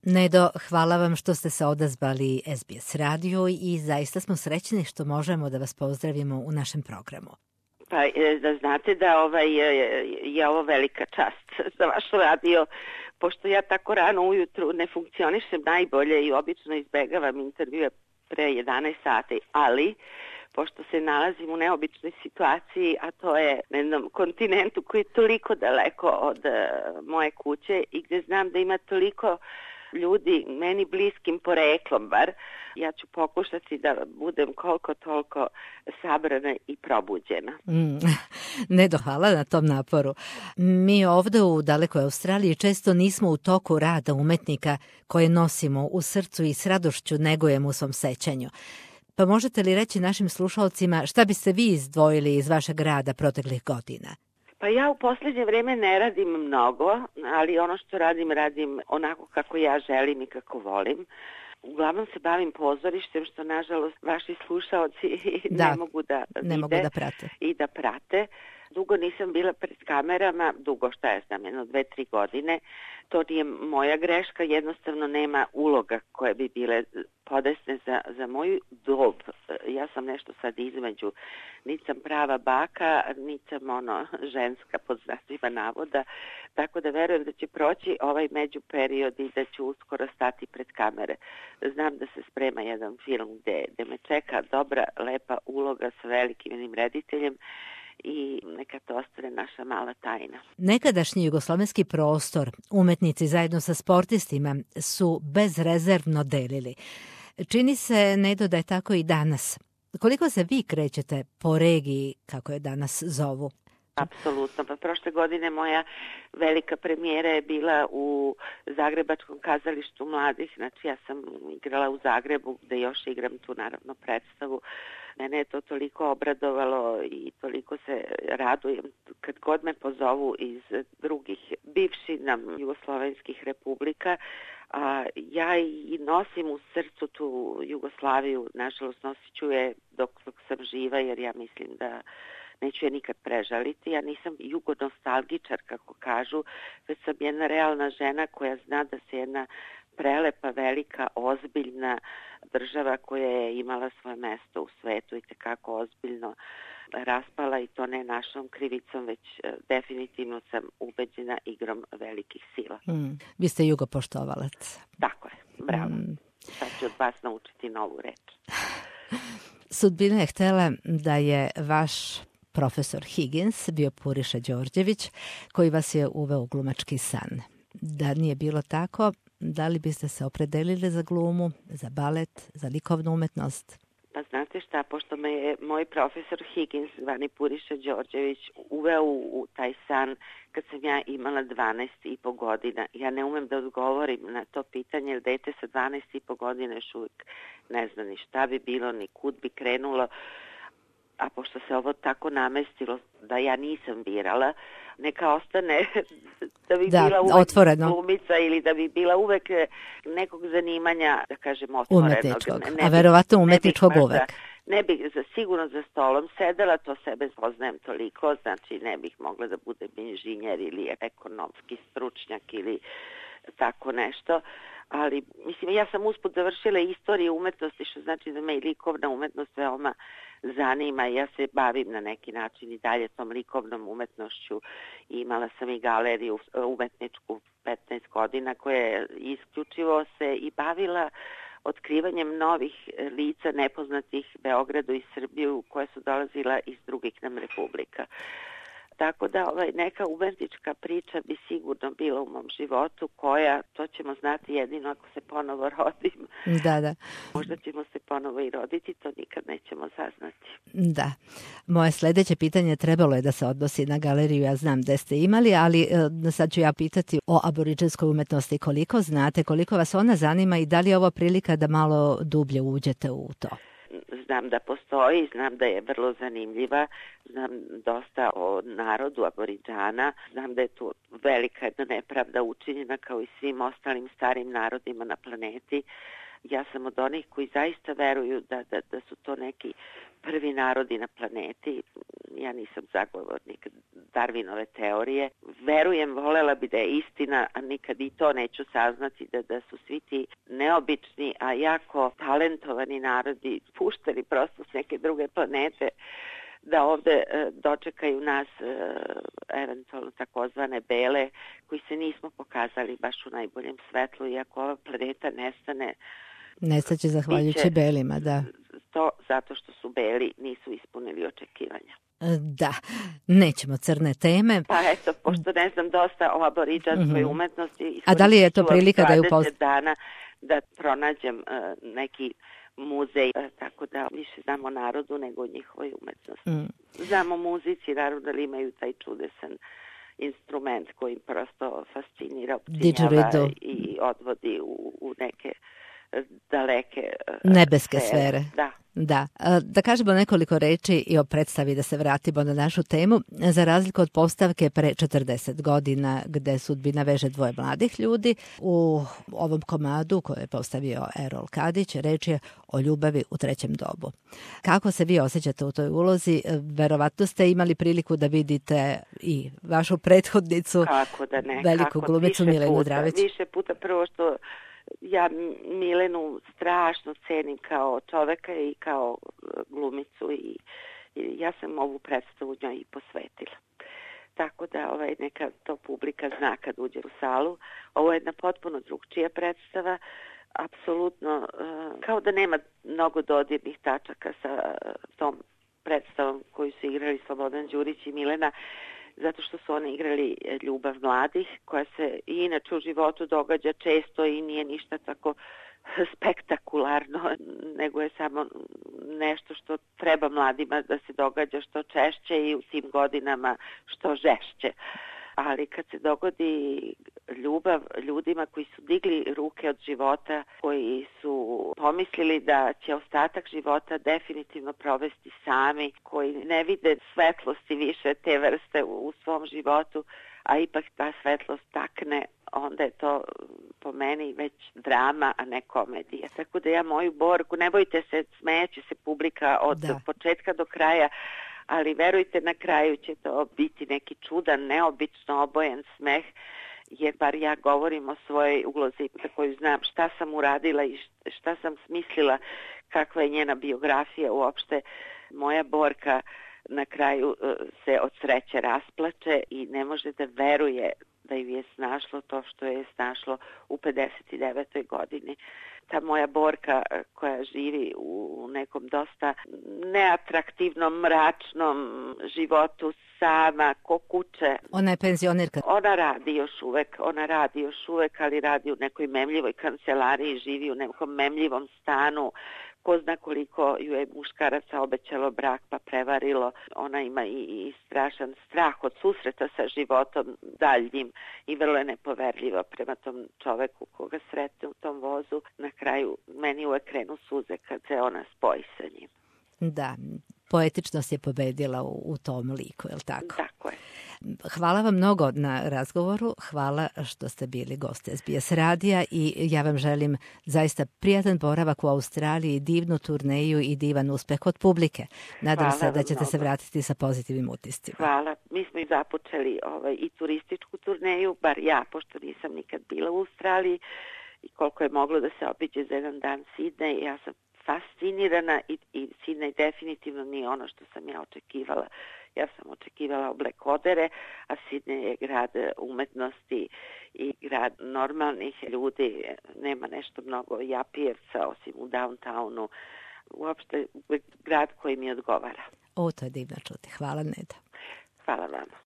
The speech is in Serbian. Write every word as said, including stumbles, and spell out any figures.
Nedo, hvala vam što ste se odazvali S B S radio i zaista smo srećni što možemo da vas pozdravimo u našem programu. Pa da znate da ovaj, je ovo velika čast za vaš radio, pošto ja tako rano ujutru ne funkcionišem najbolje i obično izbegavam intervjue pre jedanaest sati, ali pošto se nalazim u neobičnoj situaciji, a to je na jednom kontinentu koji je toliko daleko od uh, moje kuće i gdje znam da ima toliko ljudi meni bliskim poreklom bar, ja ću pokušati da budem koliko toliko sabrana i probuđena. Mm, Nedo, hvala na tom naporu. Mi ovdje u dalekoj Australiji često nismo u toku rada umetnika koje nosimo u srcu i s radošću negujemo u svom sećanju. Pa možete li reći našim slušalcima šta biste vi izdvojili iz vašeg rada proteklih godina? Pa ja u posljednje vrijeme ne radim mnogo, ali ono što radim, radim onako kako ja želim i kako volim. Uglavnom se bavim pozorištem, što nažalost vaši slušaoci da, ne mogu da ne vide mogu da prate. I da prate. Dugo nisam bila pred kamerama, dugo šta ja znam, jedno dve, tri godine. To nije moja greška, jednostavno nema uloga koje bi bile podesne za, za moju dob. Ja sam nešto sad između, niti sam prava baka, niti sam ono ženska pod znacima navoda, tako da verujem da će proći ovaj međuperiod i da ću uskoro stati pred kamere. Znam da se sprema jedan film gde, gde me čeka dobra, lepa uloga sa velikim jednim rediteljem, i neka to ostane naša mala tajna. Nekadašnji jugoslovenski prostor umetnici zajedno sa sportistima su bezrezervno delili. Čini se, Nedo, da je tako i danas. Koliko se vi krećete po regiji, kako je danas zovu? Apsolutno. Pa prošle godine moja velika premijera je bila u Zagrebačkom kazalištu mladih. Znači ja sam igrala u Zagrebu, gde još igram tu naravno predstavu. Mene je to toliko obradovalo i toliko se radujem kad god me pozovu iz drugih bivših nam jugoslovenskih republika. A ja i nosim u srcu tu Jugoslaviju, nažalost nosit ću je dok, dok sam živa, jer ja mislim da neću je nikad prežaliti. Ja nisam jugonostalgičar, kako kažu, već sam jedna realna žena koja zna da se jedna prelepa, velika, ozbiljna država koja je imala svoje mesto u svetu i tekako ozbiljno raspala, i to ne našom krivicom, već definitivno sam ubeđena igrom velikih sila. Mm. Vi ste jugopoštovalac. Tako je, bravo. Mm. Sad ću od vas naučiti novu reč. Sudbina je htjela da je vaš profesor Higgins bio Puriša Đorđević, koji vas je uveo u glumački san. Da nije bilo tako, da li biste se opredelili za glumu, za balet, za likovnu umetnost? Pa znate šta, pošto me je moj profesor Higgins, zvani Puriša Đorđević, uveo u, u taj san kad sam ja imala dvanaest i po godina. Ja ne umem da odgovorim na to pitanje, jer dete sa dvanaest i po godina još uvijek ne zna ni šta bi bilo, ni kud bi krenulo. A pošto se ovo tako namestilo da ja nisam birala, neka ostane da bi da, bila uvek otvoreno. Glumica ili da bi bila uvek nekog zanimanja, da kažem, otvorenog. Umetničkog, ne, ne a verovatno umetničkog ne uvek. Ne bih za, sigurno za stolom sedela, to sebe poznajem toliko, znači ne bih mogla da budem inženjer ili ekonomski stručnjak ili tako nešto. Ali, mislim, ja sam usput završila istoriju umetnosti, što znači da me i likovna umetnost veoma zanima. Ja se bavim na neki način i dalje tom likovnom umetnošću. Imala sam i galeriju umetničku petnaest godina koja je isključivo se i bavila otkrivanjem novih lica nepoznatih Beogradu i Srbiju koje su dolazila iz drugih nam republika. Tako da ovaj, neka umetnička priča bi sigurno bila u mom životu, koja, to ćemo znati jedino ako se ponovo rodim. Da, da. Možda ćemo se ponovo i roditi, to nikad nećemo saznati. Da. Moje sljedeće pitanje trebalo je da se odnosi na galeriju, ja znam da ste imali, ali e, sad ću ja pitati o aboriđinskoj umetnosti. Koliko znate, koliko vas ona zanima i da li je ovo prilika da malo dublje uđete u to? Znam da postoji, znam da je vrlo zanimljiva, znam dosta o narodu Aboriđana, znam da je tu velika jedna nepravda učinjena kao i svim ostalim starim narodima na planeti. Ja sam od onih koji zaista veruju da, da, da su to neki prvi narodi na planeti. Ja nisam zagovornik Darwinove teorije. Verujem, volela bi da je istina, a nikad i to neću saznati, da, da su svi ti neobični, a jako talentovani narodi pušteni prosto s neke druge planete, da ovde e, dočekaju nas e, eventualno takozvane bele, koji se nismo pokazali baš u najboljem svetlu, i ako ova planeta nestane, nestaće zahvaljujući biće belima, da. To zato što su beli nisu ispunili očekivanja. Da, nećemo crne teme. Pa eto, pošto ne znam dosta o aboriđanskoj mm-hmm. umetnosti, a da li je to prilika da je upoznam dana da pronađem uh, neki muzej, uh, tako da više znamo o narodu nego o njihovoj umetnosti. Mm. Znamo muzici, naravno da imaju taj čudesan instrument koji prosto fascinira, opcinjava i odvodi u, u neke daleke nebeske sfere. sfere. Da. Da. Da kažemo nekoliko reči i o predstavi, da se vratimo na našu temu. Za razliku od postavke pre četrdeset godina gde sudbina veže dvoje mladih ljudi, u ovom komadu koje je postavio Erol Kadić, reč je o ljubavi u trećem dobu. Kako se vi osjećate u toj ulozi? Verovatno ste imali priliku da vidite i vašu prethodnicu, kako da ne, veliku kako, glumicu Milenu Dravić. Više puta, prvo što ja Milenu strašno cenim kao čoveka i kao glumicu, i, i ja sam ovu predstavu njoj i posvetila. Tako da ovaj, neka to publika zna kad uđe u salu. Ovo je jedna potpuno drugčija predstava, apsolutno kao da nema mnogo dodirnih tačaka sa tom predstavom koju su igrali Slobodan Đurić i Milena, zato što su oni igrali ljubav mladih, koja se i inače u životu događa često i nije ništa tako spektakularno, nego je samo nešto što treba mladima da se događa što češće i u tim godinama što žešće. Ali kad se dogodi ljubav ljudima koji su digli ruke od života, koji su pomislili da će ostatak života definitivno provesti sami, koji ne vide svetlosti više te vrste u svom životu, a ipak ta svetlost takne, onda je to po meni već drama, a ne komedija. Tako da ja moju Borku, ne bojte se, smejeće se publika od da. početka do kraja, ali verujte, na kraju će to biti neki čudan, neobično obojen smeh, jer bar ja govorim o svojoj ulozi za koju znam šta sam uradila i šta sam smislila, kakva je njena biografija uopšte. Moja Borka na kraju se od sreće rasplače i ne može da veruje da ju je snašlo to što je snašlo u pedeset devetoj godini. Ta moja Borka koja živi u nekom dosta neatraktivnom, mračnom životu sama, ko kuće. Ona je penzionerka. Ona radi još uvek, ona radi još uvek, ali radi u nekoj memljivoj kancelariji, živi u nekom memljivom stanu. Ko zna koliko ju je muškaraca obećalo brak pa prevarilo. Ona ima i, i strašan strah od susreta sa životom daljnjim i vrlo je nepoverljiva prema tom čoveku koga sretne u tom vozu. Na kraju meni uvek krenu suze kad se ona spoji sa njim. Da, poetičnost je pobedila u, u tom liku, je li tako? Tako je. Hvala vam mnogo na razgovoru, hvala što ste bili goste S B S radija i ja vam želim zaista prijatan boravak u Australiji, divnu turneju i divan uspeh od publike. Nadam hvala se da ćete mnogo. se vratiti sa pozitivnim utiscima. Hvala. Mi smo i započeli ovaj, i turističku turneju, bar ja, pošto nisam nikad bila u Australiji, i koliko je moglo da se obiđe za jedan dan Sidney, ja sam fascinirana i, i Sidney definitivno nije ono što sam ja očekivala. Ja sam očekivala oblekodere, a Sidney je grad umetnosti i grad normalnih ljudi. Nema nešto mnogo japijevca osim u downtownu. Uopšte grad koji mi odgovara. O, to je divno čuti. Hvala, Neda. Hvala vama.